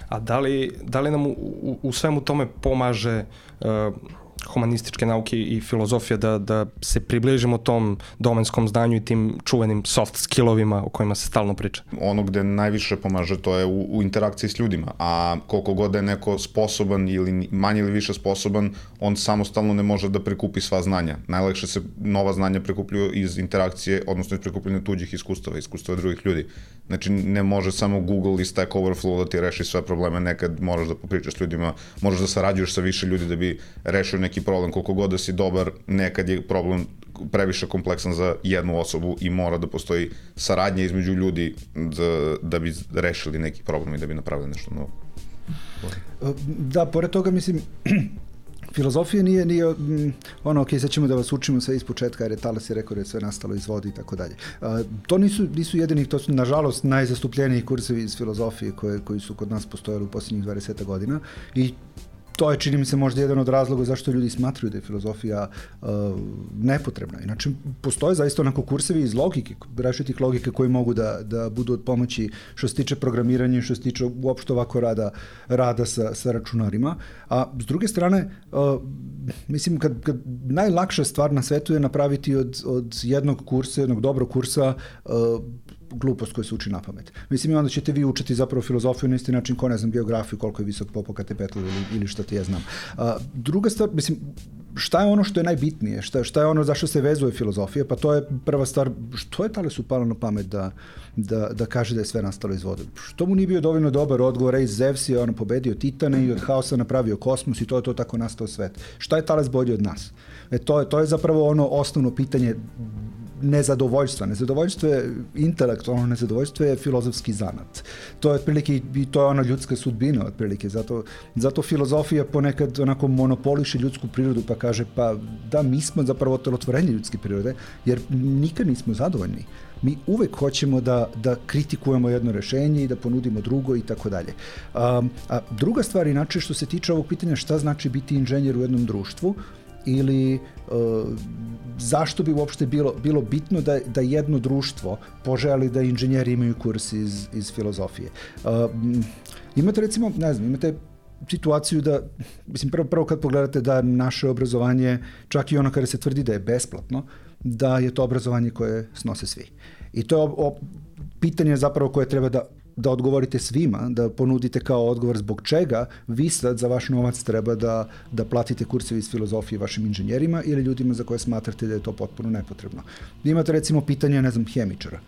A da li, da li nam u, u, u svemu tome pomaže uh, humanističke nauke i filozofija da, da se približimo tom domenskom znanju i tim čuvenim soft skillovima o kojima se stalno priča? Ono gde najviše pomaže to je u, u interakciji s ljudima, a koliko god je neko sposoban ili manje ili više sposoban, on samostalno ne može da prikupi sva znanja. Najlakše se nova znanja prikupljuju iz interakcije, odnosno iz prikupljanja tuđih iskustava, iskustava drugih ljudi. Znači ne može samo Google i Stack Overflow da ti reši sve probleme, nekad moraš da popričaš s ljudima, moraš da sarađuješ sa više ljudi da bi rešio neki problem, koliko god da si dobar, nekad je problem previše kompleksan za jednu osobu i mora da postoji saradnja između ljudi da, da bi rešili neki problem i da bi napravili nešto novo. Da, pored toga, mislim, filozofija nije, nije ono, ok, sad ćemo da vas učimo sve iz početka, jer je Tales je rekao da je sve nastalo iz vode i tako dalje. To nisu, nisu jedini, to su nažalost najzastupljeniji kursevi iz filozofije koje, koji su kod nas postojali u posljednjih dvadeset godina i to je, čini mi se, možda jedan od razloga zašto ljudi smatruju da je filozofija uh, nepotrebna. Inače, postoje zaista onako kursevi iz logike, različitih logike koji mogu da, da budu od pomoći što se tiče programiranja, što se tiče uopšte ovako rada, rada sa, sa računarima. A s druge strane, uh, mislim, kad, kad najlakša stvar na svetu je napraviti od, od jednog kursa, jednog dobrog kursa, uh, glupost koja se uči na pamet. Mislim, onda ćete vi učiti zapravo filozofiju na isti način ko, ne znam, geografiju, koliko je visok Popocatépetl ili, ili šta ti ja znam. A, druga stvar, mislim, šta je ono što je najbitnije? Šta, šta je ono zašto se vezuje filozofija? Pa to je prva stvar, što je Talesu palo na pamet da, da, da kaže da je sve nastalo iz vode? Što mu nije bio dovoljno dobar odgovor, iz Zevs je ono pobedio Titane i od haosa napravio kosmos i to je to tako nastao svet. Šta je Tales bolji od nas? E, to, je, to je zapravo ono osnovno pitanje nezadovoljstva. Nezadovoljstvo je intelektualno, nezadovoljstvo je filozofski zanat. To je otprilike i to je ona ljudska sudbina otprilike. Zato, zato filozofija ponekad onako monopoliše ljudsku prirodu pa kaže pa da, mi smo zapravo otelotvorenje ljudske prirode jer nikad nismo zadovoljni. Mi uvek hoćemo da, da kritikujemo jedno rešenje i da ponudimo drugo i tako dalje. A, a druga stvar inače što se tiče ovog pitanja šta znači biti inženjer u jednom društvu ili uh, zašto bi uopšte bilo, bilo bitno da, da jedno društvo poželi da inženjeri imaju kurs iz, iz filozofije. Uh, imate recimo, ne znam, imate situaciju da, mislim, prvo, prvo kad pogledate da naše obrazovanje, čak i ono kada se tvrdi da je besplatno, da je to obrazovanje koje snose svi. I to je o, o, pitanje zapravo koje treba da da odgovorite svima, da ponudite kao odgovor zbog čega vi sad za vaš novac treba da, da platite kurseve iz filozofije vašim inženjerima ili ljudima za koje smatrate da je to potpuno nepotrebno. Imate recimo pitanje, ne znam, hemičara.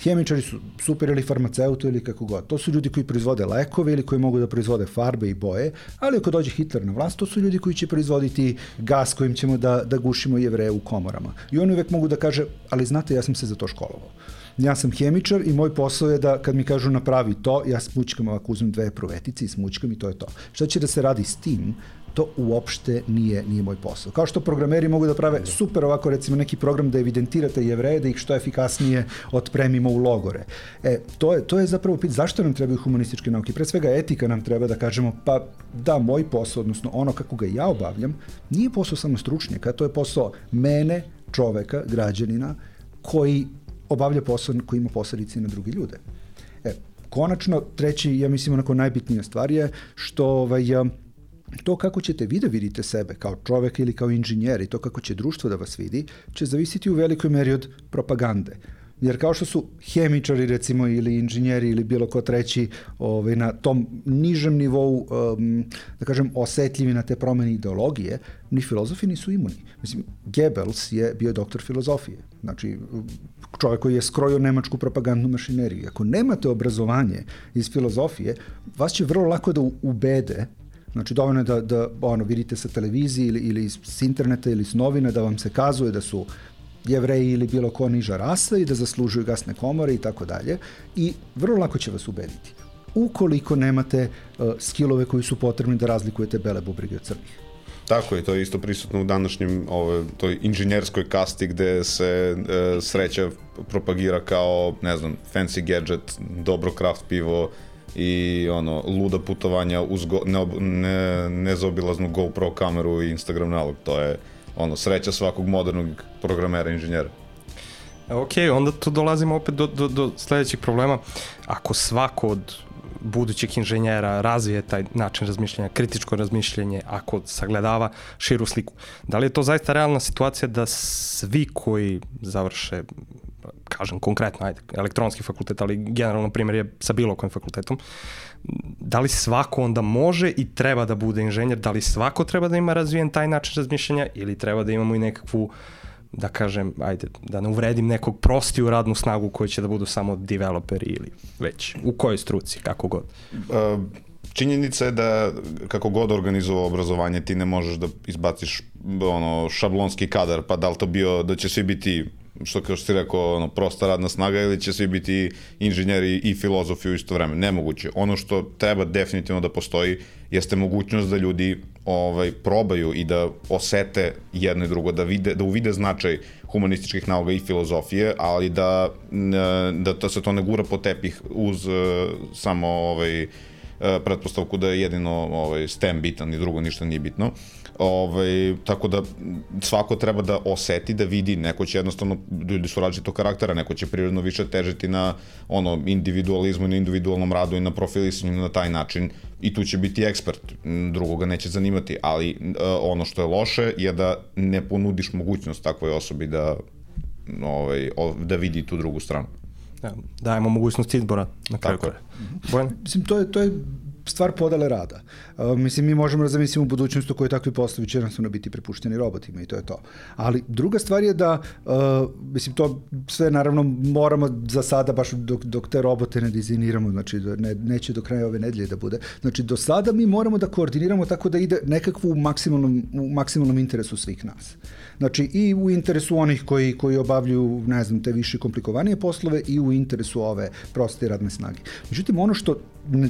Hemičari su super ili farmaceuti ili kako god. To su ljudi koji proizvode lekove ili koji mogu da proizvode farbe i boje, ali ako dođe Hitler na vlast, to su ljudi koji će proizvoditi gas kojim ćemo da, da gušimo Jevreje u komorama. I oni uvek mogu da kaže, ali znate, ja sam se za to školovao. Ja sam hemičar i moj posao je da kad mi kažu napravi to, ja smućkam ovako, uzmem dve pruvetice i smućkam i to je to. Šta će da se radi s tim? To uopšte nije, nije moj posao. Kao što programeri mogu da prave super ovako recimo neki program da evidentirate Jevreje, da ih što efikasnije otpremimo u logore. E, to je, to je zapravo pitanje zašto nam trebaju humanističke nauke. Pre svega etika nam treba da kažemo pa da, moj posao, odnosno ono kako ga ja obavljam, nije posao samo stručnjaka, to je posao mene, čoveka, građanina, koji obavlja posao koji ima posledice na drugi ljude. E, konačno, treći, ja mislim, onako najbitnija stvar je što ovaj, to kako ćete vi da vidite sebe kao čovek ili kao inženjer i to kako će društvo da vas vidi, će zavisiti u velikoj meri od propagande. Jer kao što su hemičari recimo ili inženjeri ili bilo ko treći ovaj, na tom nižem nivou, um, da kažem, osetljivi na te promene ideologije, ni filozofi nisu imuni. Mislim, Goebbels je bio doktor filozofije. Znači, čovjek koji je skrojio nemačku propagandnu mašineriju. Ako nemate obrazovanje iz filozofije, vas će vrlo lako da ubede. Znači, dovoljno je da, da ono, vidite sa televizije ili, ili s interneta ili s novina da vam se kazuje da su Jevreji ili bilo ko niža rasa i da zaslužuju gasne komore i tako dalje. I vrlo lako će vas ubediti. Ukoliko nemate uh, skillove koji su potrebni da razlikujete bele bubrege od crnih. Tako je, to je isto prisutno u današnjem ove, toj inženjerskoj kasti gde se e, sreća propagira kao, ne znam, fancy gadget, dobro craft pivo i ono, luda putovanja uz go, ne, ne, nezaobilaznu GoPro kameru i Instagram nalog. To je ono, sreća svakog modernog programera, inženjera. Ok, onda tu dolazimo opet do, do, do sledećeg problema. Ako svako od budućeg inženjera razvije taj način razmišljanja, kritičko razmišljanje, ako sagledava širu sliku. Da li je to zaista realna situacija da svi koji završe, kažem konkretno, ajde, elektronski fakultet, ali generalno primjer je sa bilo kojim fakultetom, da li svako onda može i treba da bude inženjer, da li svako treba da ima razvijen taj način razmišljanja ili treba da imamo i nekakvu, da kažem, ajde, da ne uvredim nekog prostiju radnu snagu koji će da budu samo developeri ili već, u kojoj struci, kako god? Uh, činjenica je da kako god organizovao obrazovanje ti ne možeš da izbaciš ono, šablonski kadar, pa da li to bio da će svi biti što kao što si rekao, ono, prosta radna snaga ili će svi biti inženjeri i filozofi u isto vreme. Nemoguće. Ono što treba definitivno da postoji jeste mogućnost da ljudi ovaj, probaju i da osete jedno i drugo, da, vide, da uvide značaj humanističkih nauka i filozofije, ali da, da, da se to ne gura po tepih uz uh, samo ovaj, uh, pretpostavku da je jedino ovaj, STEM bitan i drugo ništa nije bitno. Ovaj, tako da svako treba da oseti, da vidi, neko će jednostavno, ljudi su različitog karaktera, neko će prirodno više težiti na ono, individualizmu i na individualnom radu i na profilisanju na taj način i tu će biti ekspert, drugoga neće zanimati, ali uh, ono što je loše je da ne ponudiš mogućnost takvoj osobi da, ovaj, da vidi tu drugu stranu. Da, dajemo mogućnost izbora na kraju kraja. Bojan? Mislim, to je, to je stvar podele rada. Uh, mislim, mi možemo da zamislimo u budućnosti u kojoj takvi poslovi će jednostavno biti prepušteni robotima i to je to. Ali druga stvar je da, uh, mislim, to sve naravno moramo za sada, baš dok, dok te robote ne dizajniramo, znači ne, neće do kraja ove nedelje da bude. Znači, do sada mi moramo da koordiniramo tako da ide nekakvu u maksimalnom, u maksimalnom interesu svih nas. Znači, i u interesu onih koji, koji obavljaju, ne znam, te više komplikovanije poslove i u interesu ove proste radne snage. Međutim, ono što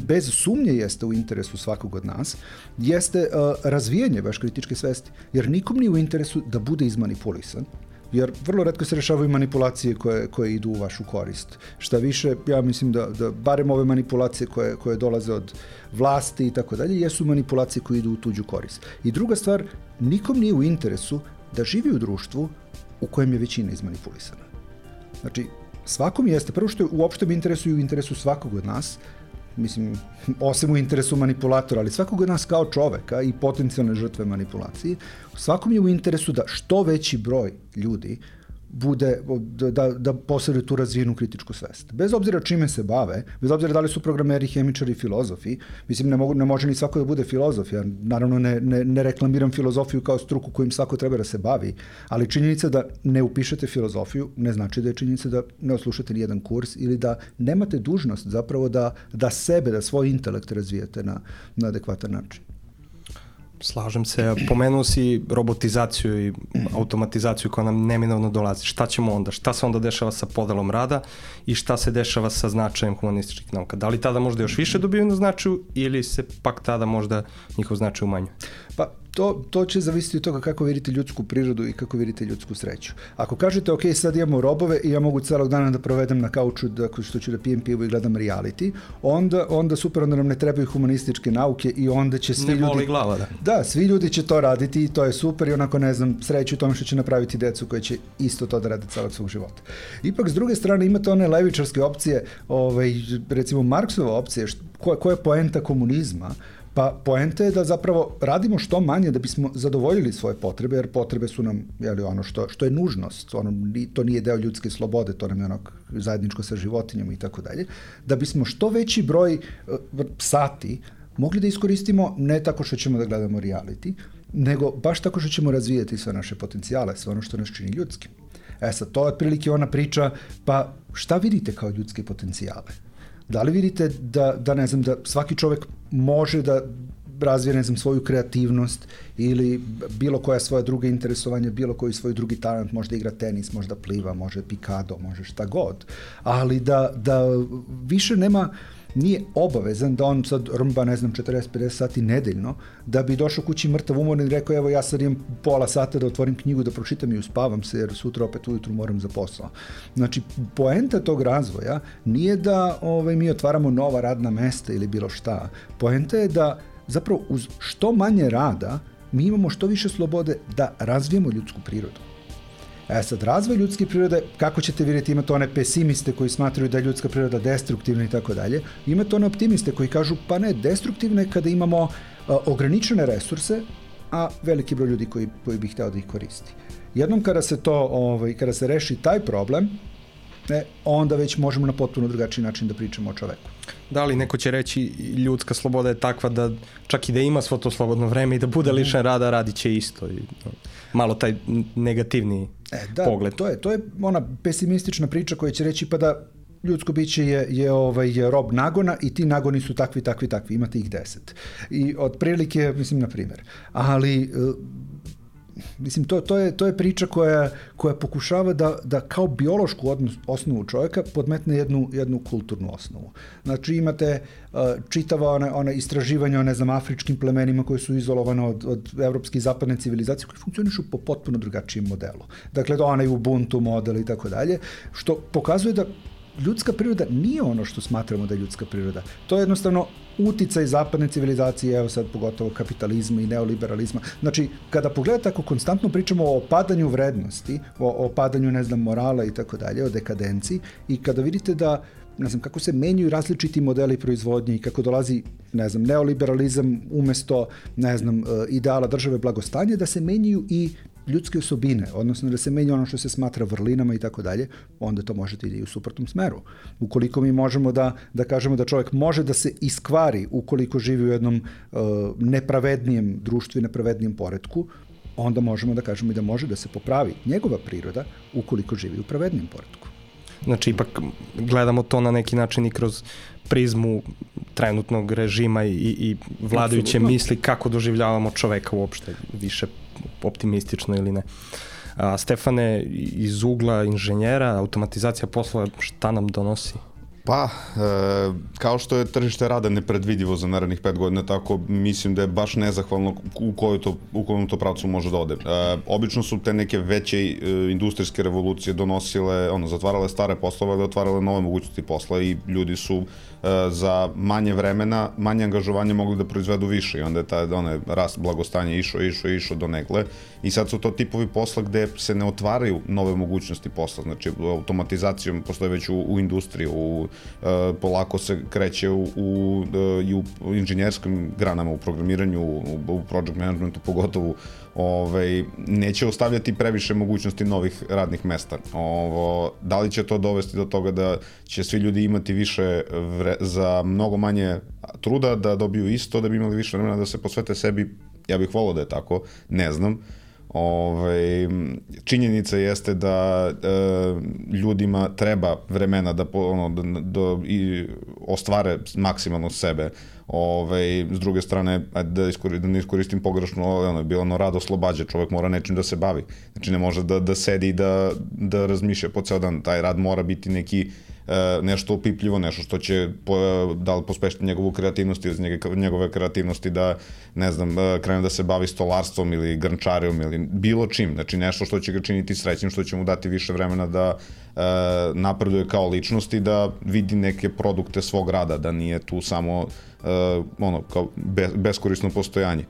bez sumnje jeste u interesu svakog od nas, jeste uh, razvijanje baš kritičke svesti. Jer nikom nije u interesu da bude izmanipulisan, jer vrlo retko se rešavaju manipulacije koje, koje idu u vašu korist. Šta više, ja mislim da, da barem ove manipulacije koje, koje dolaze od vlasti i tako dalje, jesu manipulacije koje idu u tuđu korist. I druga stvar, nikom nije u interesu da živi u društvu u kojem je većina izmanipulisana. Znači, svakom jeste, prvo što je u opštem interesu i u interesu svakog od nas, mislim, osim u interesu manipulatora, ali svakog od nas kao čoveka i potencijalne žrtve manipulacije, svakom je u interesu da što veći broj ljudi bude, da, da, da posjeduje tu razvijenu kritičku svest. Bez obzira čime se bave, bez obzira da li su programeri, hemičari, filozofi, mislim, ne, mogu, ne može ni svako da bude filozof, ja naravno ne, ne, ne reklamiram filozofiju kao struku kojim svako treba da se bavi, ali činjenica da ne upišete filozofiju ne znači da je činjenica da ne oslušate ni jedan kurs ili da nemate dužnost zapravo da, da sebe, da svoj intelekt razvijete na, na adekvatan način. Slažem se, pomenuo si robotizaciju i automatizaciju koja nam neminovno dolazi. Šta ćemo onda? Šta se onda dešava sa podelom rada i šta se dešava sa značajem humanističkih nauka? Da li tada možda još više dobiju na značaju ili se pak tada možda njihov značaj umanjuje? Pa to, to će zavisiti od toga kako vidite ljudsku prirodu i kako vidite ljudsku sreću. Ako kažete, ok, sad imamo robove i ja mogu celog dana da provedem na kauču da, što ću da pijem pivo i gledam reality, onda, onda super, onda nam ne trebaju humanističke nauke i onda će svi ne ljudi... Ne boli glava, da. Da, svi ljudi će to raditi i to je super i onako, ne znam, sreću u tome što će napraviti decu koje će isto to da rade celog svog života. Ipak, s druge strane, imate one levičarske opcije, ovaj, recimo Marksova opcija, koja, koja je poenta komunizma. Pa poenta je da zapravo radimo što manje da bismo zadovoljili svoje potrebe, jer potrebe su nam, jeli, ono što, što je nužnost, ono, to nije deo ljudske slobode, to nam je ono zajedničko sa životinjama i tako dalje, da bismo što veći broj uh, sati mogli da iskoristimo ne tako što ćemo da gledamo reality, nego baš tako što ćemo razvijati sve naše potencijale, sve ono što nas čini ljudskim. E sad, to je otprilike ona priča, pa šta vidite kao ljudske potencijale? Da li vidite da, da, ne znam, da svaki čovek može da razvije, ne znam, svoju kreativnost ili bilo koja svoja druga interesovanja, bilo koji svoj drugi talent, možda igra tenis, možda pliva, može pikado, može šta god, ali da, da više nema, nije obavezan da on sad rmba, ne znam, četrdeset do pedeset sati nedeljno, da bi došao kući mrtav umoran i rekao, evo ja sad imam pola sata da otvorim knjigu, da pročitam i uspavam se, jer sutra opet ujutru moram za posao. Znači, poenta tog razvoja nije da ovaj, mi otvaramo nova radna mesta ili bilo šta. Poenta je da zapravo uz što manje rada mi imamo što više slobode da razvijemo ljudsku prirodu. E sad, razvoj ljudske prirode, kako ćete vidjeti, imate one pesimiste koji smatraju da je ljudska priroda destruktivna i tako dalje, imate one optimiste koji kažu, pa ne, destruktivna je kada imamo a, ograničene resurse, a veliki broj ljudi koji, koji bi hteo da ih koristi. Jednom kada se to, ovaj, kada se reši taj problem, e, onda već možemo na potpuno drugačiji način da pričamo o čoveku. Da li neko će reći ljudska sloboda je takva da čak i da ima svo to slobodno vreme i da bude lišen rada, radit će isto. I, malo taj negativni e, da, pogled. To je, to je ona pesimistična priča koja će reći pa da ljudsko biće je, je, ovaj, je rob nagona i ti nagoni su takvi, takvi, takvi. Imate ih deset. I otprilike, mislim, na primjer. Ali mislim, to, to, je, to je priča koja, koja pokušava da, da kao biološku odnos, osnovu čovjeka podmetne jednu, jednu kulturnu osnovu. Znači imate uh, čitava ona, ona istraživanja o, ne znam, afričkim plemenima koji su izolovane od, od evropske i zapadne civilizacije koji funkcionišu po potpuno drugačijem modelu. Dakle, to onaj Ubuntu model i tako dalje, što pokazuje da ljudska priroda nije ono što smatramo da je ljudska priroda. To je jednostavno uticaj zapadne civilizacije, evo sad pogotovo kapitalizma i neoliberalizma. Znači, kada pogledate, ako konstantno pričamo o opadanju vrednosti, o, o opadanju, ne znam, morala i tako dalje, o dekadenciji, i kada vidite da, ne znam, kako se menjaju različiti modeli proizvodnje i kako dolazi, ne znam, neoliberalizam umesto, ne znam, ideala države blagostanja, da se menjaju i ljudske osobine, odnosno da se menja ono što se smatra vrlinama i tako dalje, onda to možete ide i u suprotnom smeru. Ukoliko mi možemo da, da kažemo da čovjek može da se iskvari ukoliko živi u jednom uh, nepravednijem društvu i nepravednijem poretku, onda možemo da kažemo i da može da se popravi njegova priroda ukoliko živi u pravednijem poretku. Znači, ipak gledamo to na neki način i kroz prizmu trenutnog režima i, i vladajuće Absolutno. misli kako doživljavamo čoveka uopšte, više optimistično ili ne. A, Stefane, iz ugla inženjera, automatizacija poslova, šta nam donosi? Pa, e, kao što je tržište rada nepredvidivo za narednih pet godina, tako mislim da je baš nezahvalno u koju to, u kojem to pravcu može da ode. E, obično su te neke veće e, industrijske revolucije donosile, ono, zatvarale stare poslove, ali otvarale nove mogućnosti posla i ljudi su e, za manje vremena, manje angažovanja mogli da proizvedu više i onda je taj onaj rast blagostanja išao, išao, išao do negle i sad su to tipovi posla gde se ne otvaraju nove mogućnosti posla, znači automatizacijom postoje već u, u industriji, u Uh, polako se kreće u, u, uh, i u inženjerskim granama, u programiranju, u, u project managementu pogotovo, ovaj, neće ostavljati previše mogućnosti novih radnih mesta. Ovo, da li će to dovesti do toga da će svi ljudi imati više vre, za mnogo manje truda, da dobiju isto, da bi imali više vremena da se posvete sebi? Ja bih volao da je tako, ne znam. Ove, činjenica jeste da e, ljudima treba vremena da, ono, da, da i ostvare maksimalno sebe. Ove, s druge strane, da, iskori, da ne iskoristim pogrešno, ono, bilo ono rad oslobađa, čovjek mora nečim da se bavi. Znači ne može da, da sedi i da, da razmišlja po ceo dan. Taj rad mora biti neki nešto opipljivo, nešto što će da li pospešiti njegovu kreativnost ili njegove kreativnosti da, ne znam, krene da se bavi stolarstvom ili grnčarijom ili bilo čim, znači nešto što će ga činiti srećnim, što će mu dati više vremena da e, napreduje kao ličnost i da vidi neke produkte svog rada, da nije tu samo e, ono, kao be, beskorisno postojanje.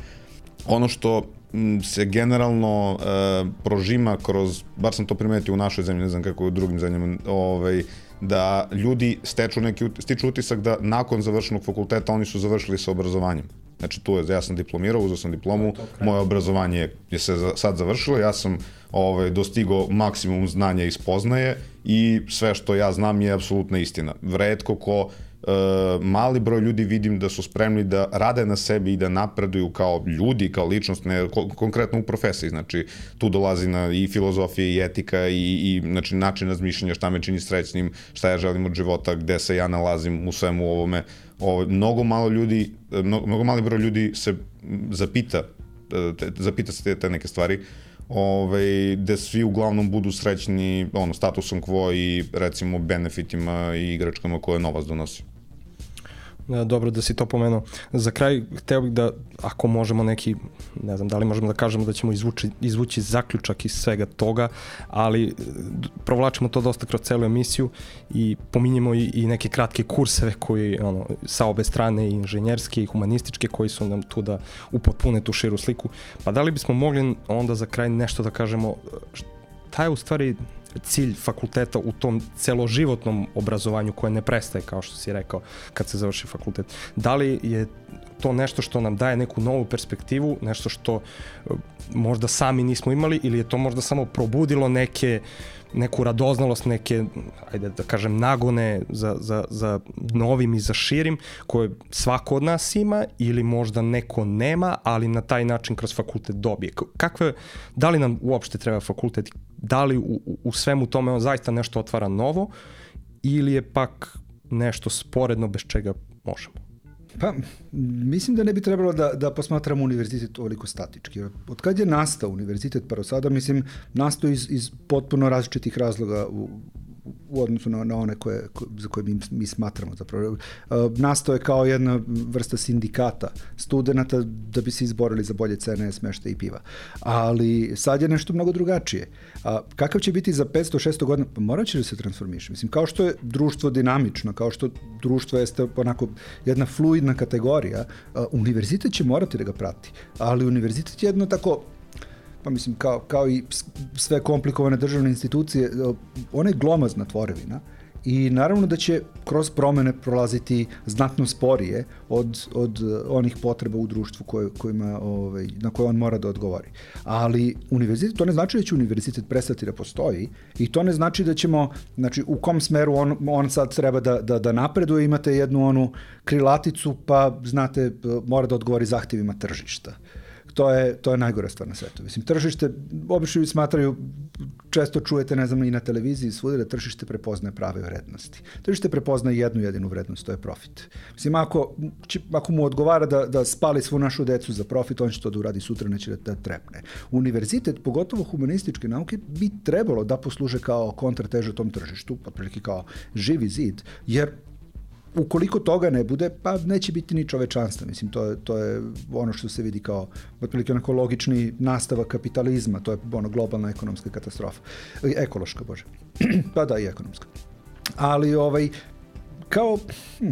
Ono što se generalno e, prožima kroz, bar sam to primetio u našoj zemlji, ne znam kako u drugim zemljama, ovaj, da ljudi steču neki, stiču utisak da nakon završenog fakulteta oni su završili sa obrazovanjem. Znači tu je, ja sam diplomirao, uzeo sam diplomu, moje obrazovanje je se sad završilo, ja sam ovaj, dostigao maksimum znanja i spoznaje i sve što ja znam je apsolutna istina. Retko ko Uh, mali broj ljudi vidim da su spremni da rade na sebi i da napreduju kao ljudi, kao ličnost, ne ko, konkretno u profesiji, znači tu dolazi na i filozofija i etika i, i znači, način razmišljanja, šta me čini srećnim, šta ja želim od života, gde se ja nalazim u svemu ovome. Ovo, mnogo malo ljudi, mnogo, mnogo mali broj ljudi se zapita, te, zapita se te, te neke stvari, Ove, gde svi uglavnom budu srećni ono, statusom quo i recimo benefitima i igračkama koje novac donosi. Dobro da si to pomenuo. Za kraj, hteo bih da, ako možemo neki, ne znam, da li možemo da kažemo da ćemo izvući, izvući zaključak iz svega toga, ali provlačimo to dosta kroz celu emisiju i pominjemo i, i neke kratke kurseve koji, ono, sa obe strane, i inženjerske i humanističke, koji su nam tu da upotpune tu širu sliku. Pa da li bismo mogli onda za kraj nešto da kažemo, šta je u stvari cilj fakulteta u tom celoživotnom obrazovanju koje ne prestaje, kao što si rekao, kad se završi fakultet. Da li je to nešto što nam daje neku novu perspektivu, nešto što možda sami nismo imali, ili je to možda samo probudilo neke, neku radoznalost, neke, ajde da kažem, nagone za, za, za novim i za širim, koje svako od nas ima, ili možda neko nema, ali na taj način kroz fakultet dobije. Kakve, da li nam uopšte treba fakultet? Da li u, u svemu tome on zaista nešto otvara novo, ili je pak nešto sporedno bez čega možemo? Pa, mislim da ne bi trebalo da, da posmatramo univerzitet ovoliko statički. Od kad je nastao univerzitet pa do sada, mislim, nastao iz, iz potpuno različitih razloga u, u odnosu na, na one koje, ko, za koje mi, mi smatramo zapravo. Uh, nastao je kao jedna vrsta sindikata studenta da bi se izborili za bolje cene smeštaja i piva. Ali sad je nešto mnogo drugačije. A kakav će biti za petsto šesto godina? Pa morat će da se transformiše. Mislim, kao što je društvo dinamično, kao što društvo jeste onako jedna fluidna kategorija, uh, univerzitet će morati da ga prati. Ali univerzitet je jedno tako, pa mislim, kao, kao i sve komplikovane državne institucije, ona je glomazna tvorevina i naravno da će kroz promene prolaziti znatno sporije od, od onih potreba u društvu koje, kojima, ovaj, na koje on mora da odgovori. Ali univerzitet, to ne znači da će univerzitet prestati da postoji i to ne znači da ćemo, znači u kom smeru on, on sad treba da, da, da napreduje, imate jednu onu krilaticu, pa znate, mora da odgovori zahtjevima tržišta. To je, to je najgora stvar na svetu. Mislim, tržište, obično smatraju, često čujete, ne znam, i na televiziji svuda da tržište prepoznaje prave vrednosti. Tržište prepoznaje jednu jedinu vrednost, to je profit. Mislim, ako, ako mu odgovara da, da spali svu našu decu za profit, on će to da uradi sutra, neće da, da trepne. Univerzitet, pogotovo humanističke nauke, bi trebalo da posluže kao kontrateža tom tržištu, otprilike kao živi zid, jer ukoliko toga ne bude, pa neće biti ni čovečanstva. Mislim, to je, to je ono što se vidi kao otprilike onako logični nastavak kapitalizma, to je ono globalna ekonomska katastrofa. Ekološka, bože. Pa da, i ekonomska. Ali, ovaj, kao, hm,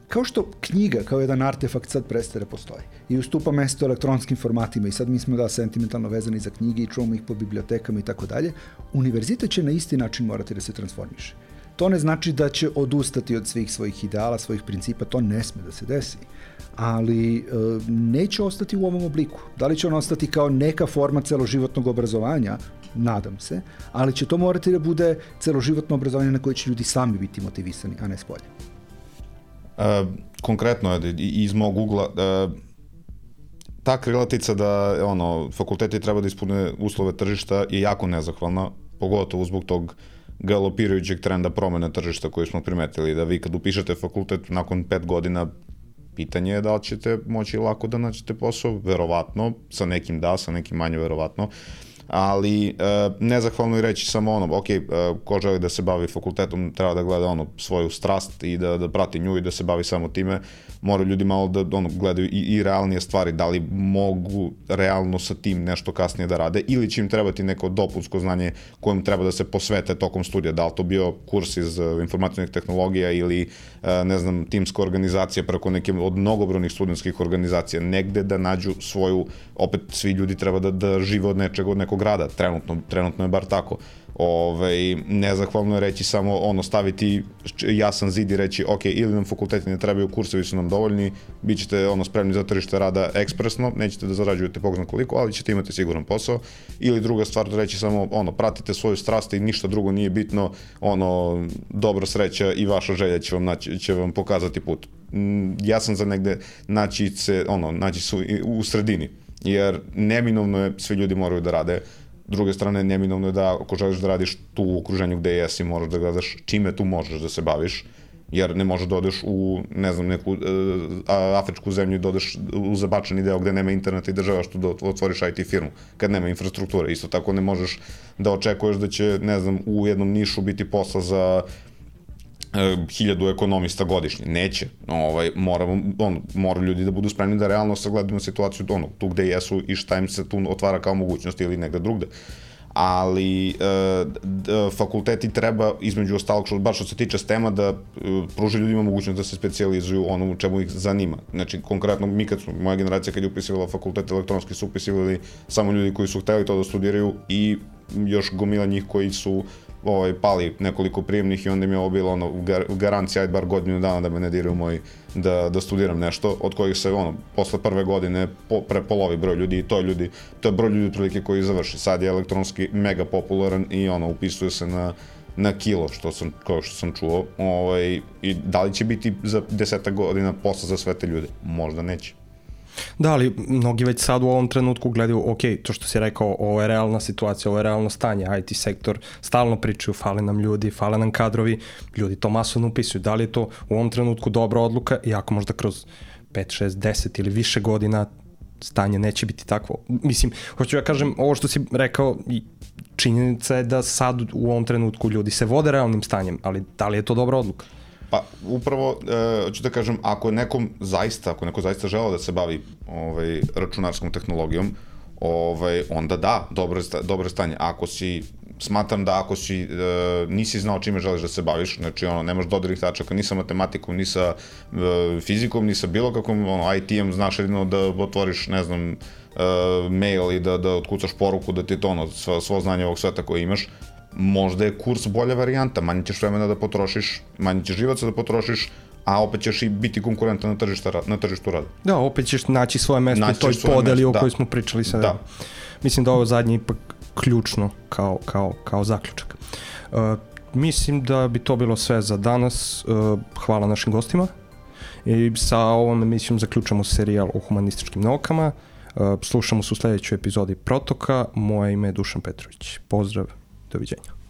kao što knjiga, kao jedan artefakt sad prestaje da postoji i ustupa mesto elektronskim formatima i sad mi smo da sentimentalno vezani za knjige i čuvamo ih po bibliotekama i tako dalje, univerzitet će na isti način morati da se transformiše. To ne znači da će odustati od svih svojih ideala, svojih principa, to ne sme da se desi, ali e, neće ostati u ovom obliku. Da li će on ostati kao neka forma celoživotnog obrazovanja? Nadam se, ali će to morati da bude celoživotno obrazovanje na koje će ljudi sami biti motivisani, a ne spolje. E, konkretno, iz mog ugla, e, ta krilatica da ono, fakulteti treba da ispune uslove tržišta je jako nezahvalna, pogotovo zbog tog galopirajućeg trenda promene tržišta koji smo primetili, da vi kad upišete fakultet nakon pet godina, pitanje je da li ćete moći lako da nađete posao, verovatno, sa nekim da, sa nekim manje verovatno, ali e, nezahvalno je reći samo ono, ok, e, ko želi da se bavi fakultetom treba da gleda ono svoju strast i da, da prati nju i da se bavi samo time, moraju ljudi malo da ono, gledaju i, i realnije stvari, da li mogu realno sa tim nešto kasnije da rade ili će im trebati neko dopunsko znanje kojem treba da se posvete tokom studija, da li to bio kurs iz informacionih tehnologija ili ne znam, timska organizacija preko neke od mnogobrojnih studentskih organizacija, negde da nađu svoju, opet svi ljudi treba da, da žive od nečega, od nekog rada, trenutno, trenutno je bar tako. Ove, nezahvalno je reći samo ono, staviti jasan zid i reći ok, ili nam fakulteti ne trebaju, kursevi su nam dovoljni, bit ćete ono, spremni za tržište rada ekspresno, nećete da zarađujete bog zna koliko, ali ćete imati siguran posao, ili druga stvar da reći samo ono, pratite svoju strast i ništa drugo nije bitno, ono, dobra sreća i vaša želja će vam, naći, će vam pokazati put. Ja sam za negde naći se, ono, naći se u, u sredini, jer neminovno je, svi ljudi moraju da rade. S druge strane, neminovno je da ako želiš da radiš tu u okruženju gde jesi, moraš da gledaš čime tu možeš da se baviš, jer ne možeš da odeš u, ne znam, neku uh, afričku zemlju i da odeš u zabačeni deo gde nema interneta i država što da otvoriš I T firmu, kad nema infrastrukture. Isto tako ne možeš da očekuješ da će, ne znam, u jednom nišu biti posla za hiljadu ekonomista godišnje. Neće. Ovaj, moramo, ono, moraju ljudi da budu spremni da realno sagledaju situaciju ono, tu gde jesu i šta im se tu otvara kao mogućnost ili negde drugde. Ali e, d, fakulteti treba, između ostalog, što, baš što se tiče stema, da e, pruži ljudima mogućnost da se specijalizuju ono u čemu ih zanima. Znači, konkretno, mi kad smo, moja generacija kad je upisivala fakultet elektronski su upisivali samo ljudi koji su hteli to da studiraju i još gomila njih koji su ovaj, pali nekoliko prijemnih i onda mi je ovo bilo ono, garancija, ajde bar godinu dana da me ne diraju moji da, da studiram nešto, od kojih se ono, posle prve godine po, prepolovi broj ljudi i to je ljudi, to je broj ljudi otprilike koji završi. Sad je elektronski mega popularan i ono, upisuje se na, na kilo, što sam, kao što sam čuo, ovaj, i da li će biti za desetak godina posla za sve te ljude? Možda neće. Da, ali mnogi već sad u ovom trenutku gledaju, ok, to što si rekao, ovo je realna situacija, ovo je realno stanje, I T sektor, stalno pričaju, fale nam ljudi, fale nam kadrovi, ljudi to masovno upisuju. Da li je to u ovom trenutku dobra odluka, iako možda kroz pet, šest, deset ili više godina stanje neće biti takvo. Mislim, hoću ja kažem, ovo što si rekao, činjenica je da sad u ovom trenutku ljudi se vode realnim stanjem, ali da li je to dobra odluka? Pa upravo, e, ću da kažem, ako je nekom zaista, ako neko zaista želeo da se bavi ovaj, računarskom tehnologijom, ovaj, onda da, dobro je, dobro je stanje. Ako si, smatram da ako si, e, nisi znao čime želiš da se baviš, znači ono, nemaš dodirnih tačaka ni sa matematikom, ni sa e, fizikom, ni sa bilo kakvom ono, I T-em, znaš jedino da otvoriš, ne znam, e, mail i da, da otkucaš poruku, da ti je to ono, svo, svo znanje ovog sveta koje imaš, možda je kurs bolja varijanta, manje ćeš vremena da potrošiš, manje ćeš živaca da potrošiš, a opet ćeš i biti konkurentan na, tržišta, na tržištu rada. Da, opet ćeš naći svoje mesto u toj podeli o kojoj smo pričali sada. Da. Mislim da ovo zadnje ipak ključno kao, kao, kao zaključak. Uh, mislim da bi to bilo sve za danas. Uh, hvala našim gostima. I sa ovom emisijom zaključamo serijal o humanističkim naukama. Uh, slušamo se u sledećoj epizodi Protoka. Moje ime je Dušan Petrović. Pozdrav, doviđenja.